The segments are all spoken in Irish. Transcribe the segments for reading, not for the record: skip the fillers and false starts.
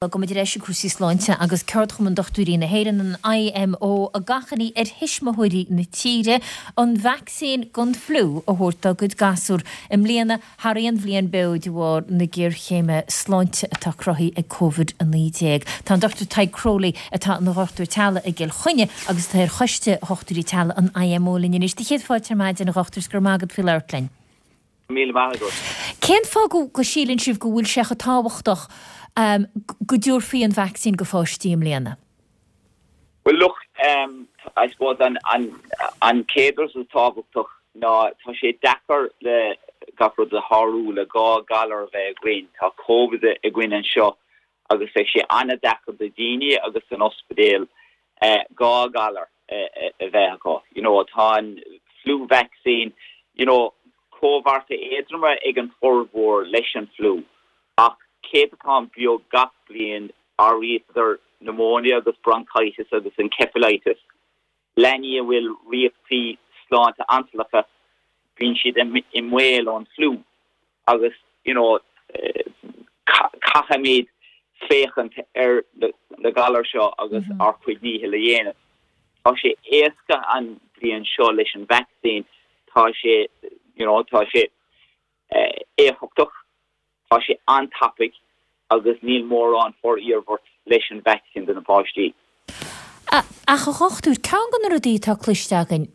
Bogfaimid ar ais ag cúrsaí sláinte agus Ceardchumann Dochtúirí na hÉireann, an IMO, ag achainí ar thuismitheoirí na tíre an vacsaín don fliú a thabhairt dá gcuid gasúr i mbliana thar aon bhliain beo de bharr na géarchéime sláinte atá cruthaithe ag Covid-19. Tá an Dr Tadhg Crowley, atá ina dhochtúir teaghlaigh i gCill Chainnigh agus atá ar choiste Dhochtúirí Teaghlaigh an IMO linn anois. Do chéad fáilte ar maidin, a dhochtúir, is go raibh maith agat faoi labhairt linn. Míle maith agat. Cén fáth go síleann sibh go bhfuil sé chomh tábhachtach go dtabharfaí an vacsaín go pháistí i mbliana? Bhuel look, I suppose an chéad rud is tábhachtach ná tá sé deacair le gach rud a shárú le dhá ghalar a bheith againn. Tá Covid againn anseo agus beidh sé an-deacair do dhaoine agus don ospidéal dhá ghalar a bheith acu. You know, tá an flu vaccine, you know, comhartha éadroma ag an formhór leis an fliú ach céadatán beag gach bliain áirítear pneumonia agus bronchitis agus encephalitis. Leanaí a bhfuil riochtaí sláinte ansallacha, bíonn siad i mbaol ón fliú agus you know caithfimid féachaint ar na galair seo agus ár chuid dícheall a dhéanamh. Tá sé éasca an bhliain seo leis an vacsaín, tá sé you know tá sé éifeachtach, tá sé an-tapaidh agus níl mórán for-iarmhairt leis an vacsaín do na páistí. Ach a dhochtúir, ceann de na rudaí atá cloiste againn,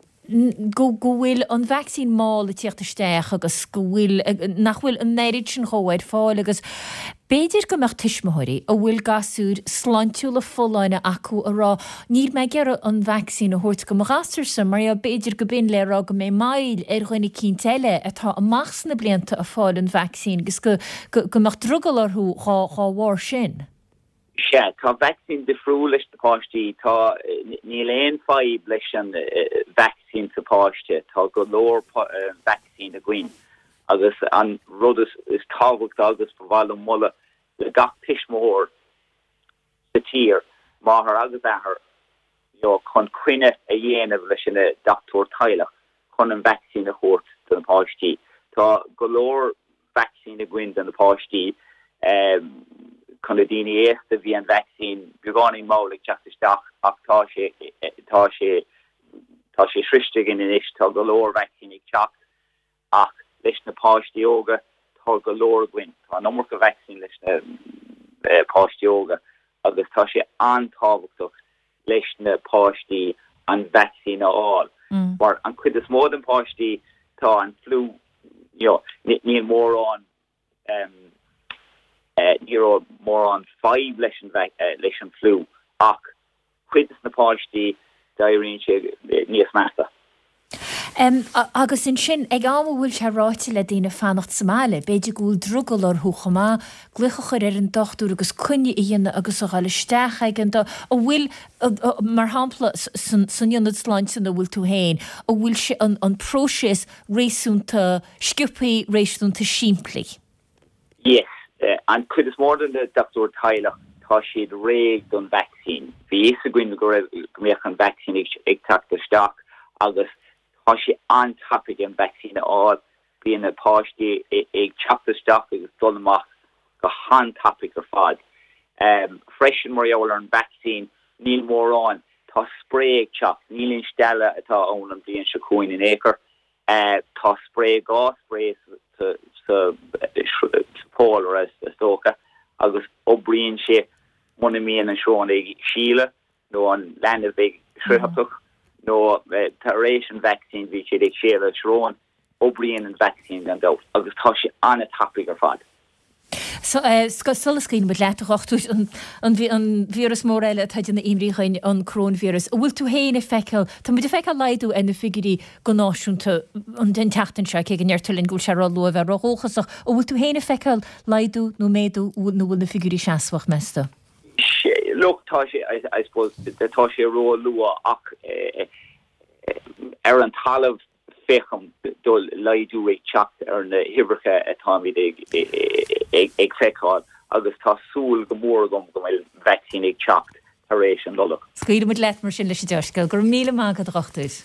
go go bhfuil an vacsaín mall ag tíocht isteach agus go bhfuil, nach bhfuil an oiread sin dhó ar fáil agus b'fhéidir go mbeadh tuismitheoirí a bhfuil gasúir sláintiúla folláine acu a rá níl mé ag iarraidh an vacsaín a thabhairt go mo ghasúrsa mar b'fhéidir go b'in le rá go mbeidh moill ar dhuine eicínt eile atá amach sna blianta a fáil an vacsaín agus go go mbeadh drogall orthu dhá dhá bharr sin. Sea, tá vacsaín difriúil leis na páistí. Tá, níl aon fadhb leis an vacsaín sa páiste. Tá go leor vacsaín againn agus an rud is tábhachtaí agus ba mhaith liom moladh le gach tuismitheoir sa tír, máthair agus athair, you know, chun coinne a dhéanamh leis an dochtúir teaghlach chun an vacsaín a thabhairt do na páistí. Tá go leor vacsaín againn do na páistí. Chun na daoine aosta bhí an vacsaín beagáinín mall ag teacht isteach ach tá sé tá sé tá sé sroiste againn anois. Tá go leor vacsaín ag teacht ach leis na páistí óga tá go leor againn. Tá an iomarca vacsaín leis na páistí óga agus tá sé an-tábhachtach leis na páistí an vacsaín a fháil mar an cuid is mó den páistí tá an fliú you know níl mórán ní raibh mórán fadhb leis an leis an fliú ach cuid de na páistí d'éiríonn sé níos measa. Agus ansin, ag am a bhfuil sé ráite le daoine fanacht sa mbaile, b'fhéidir go bhfuil drogall orthu chomh maith glaoch a chur ar an dochtúir agus coinne a dhéanamh agus a dhul isteach ag an an bhfuil, mar shampla, san ionad sláinte ina bhfuil tú féin, an bhfuil sé, an próiseas réasúnta sciobthaí, réasúnta simplí? Yes. An cuid is mó de na dochtúir teaghlach, tá siad réidh don vacsaín. Bhí fhios againn go raibh, go mbeadh an vacsaín ag teacht isteach agus tá sé an-tapaidh an vacsaín a fháil. Bíonn na páistí ag teacht isteach agus dul amach go han-tapaidh ar fad. Freisin mar gheall ar an vacsaín, níl mórán, tá spray ag teacht, níl aon stealladh atá ann an bhliain seo chugainn in aon chor. Tá spray, dhá spray sa poll is dócha agus oibríonn sé muna mbíonn an srón ag sileadh nó an leanbh ag sruthachtach nó tar éis an vacsaín bhí siad ag séaladh sróin, oibríonn an vacsaín gan dabht agus tá sé an-tapaidh ar fad. Sula scaoileann muid leat, a dhochtúir, an víreas mór eile atá ag déanamh imní dhuinn, an coróinvíreas, an bhfuil tú féin ag feiceáil, tá muid ag feiceáil laghdú ar na figiúirí go náisiúnta an tseachtain seo, cé go ndeirtear linn go bhfuil sé ró-luath a bheith ró-dhóchasach, an bhfuil tú féin ag feiceáil laghdú nó méadú nó bhfuil na figiúirí seasmhach, meas tú? Look, tá sé, I suppose, tá sé ró-luath ach ar an talamh, Feicim do laghdú ag teacht ar na huimhreacha atáimid ag feiceáil agus tá súil go mór agam go bhfuil vacsaín ag teacht tar éis an Nollag. Scaoilfidh muid leat mar sin leis an dea-scéal. Go raibh míle maith agat, a dhochtúir.